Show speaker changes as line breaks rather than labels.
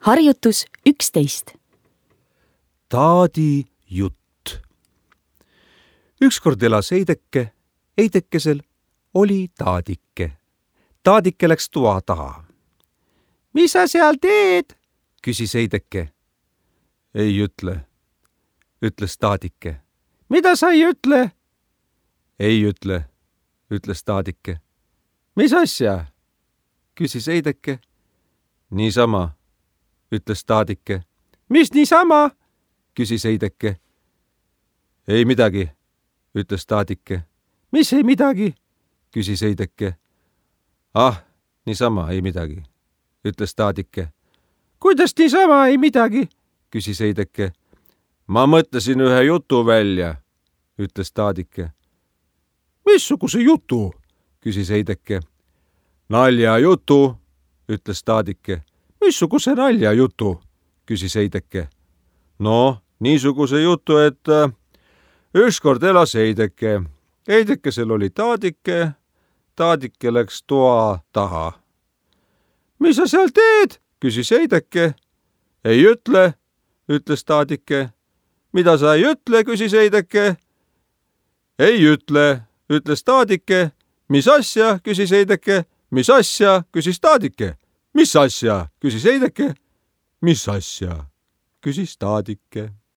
Harjutus 11.
Taadi jutt. Ükskord elas Heideke. Heidekesel oli Taadike. Taadike läks toa taha. Mis sa seal teed? Küsis Heideke. Ei ütle, ütles Taadike. Mida sa ei ütle? Ei ütle, ütles Taadike. Mis asja? Küsis Heideke. Niisama, ütles Taadike. Mis niisama? Küsis Heideke. Ei midagi, ütles Taadike. Mis ei midagi? Küsis Heideke. Ah, niisama ei midagi, ütles Taadike. Kuidas niisama ei midagi? Küsis Heideke. Ma mõtlesin ühe jutu välja, ütles Taadike. Missuguse jutu? Küsis Heideke. Naljajutu, ütles Taadike. Missuguse naljajutu? Küsis Heideke. No, niisuguse jutu, et ükskord elas Heideke. Heidekesel oli Taadike. Taadike läks toa taha. Mis sa seal teed? Küsis Heideke. Ei ütle, ütles Taadike. Mida sa ei ütle? Küsis Heideke. Ei ütle, ütles Taadike. Mis asja? Küsis Heideke. Mis asja? Küsis Taadike. Mis asja? Küsis Heideke. Mis asja? Küsis Taadike.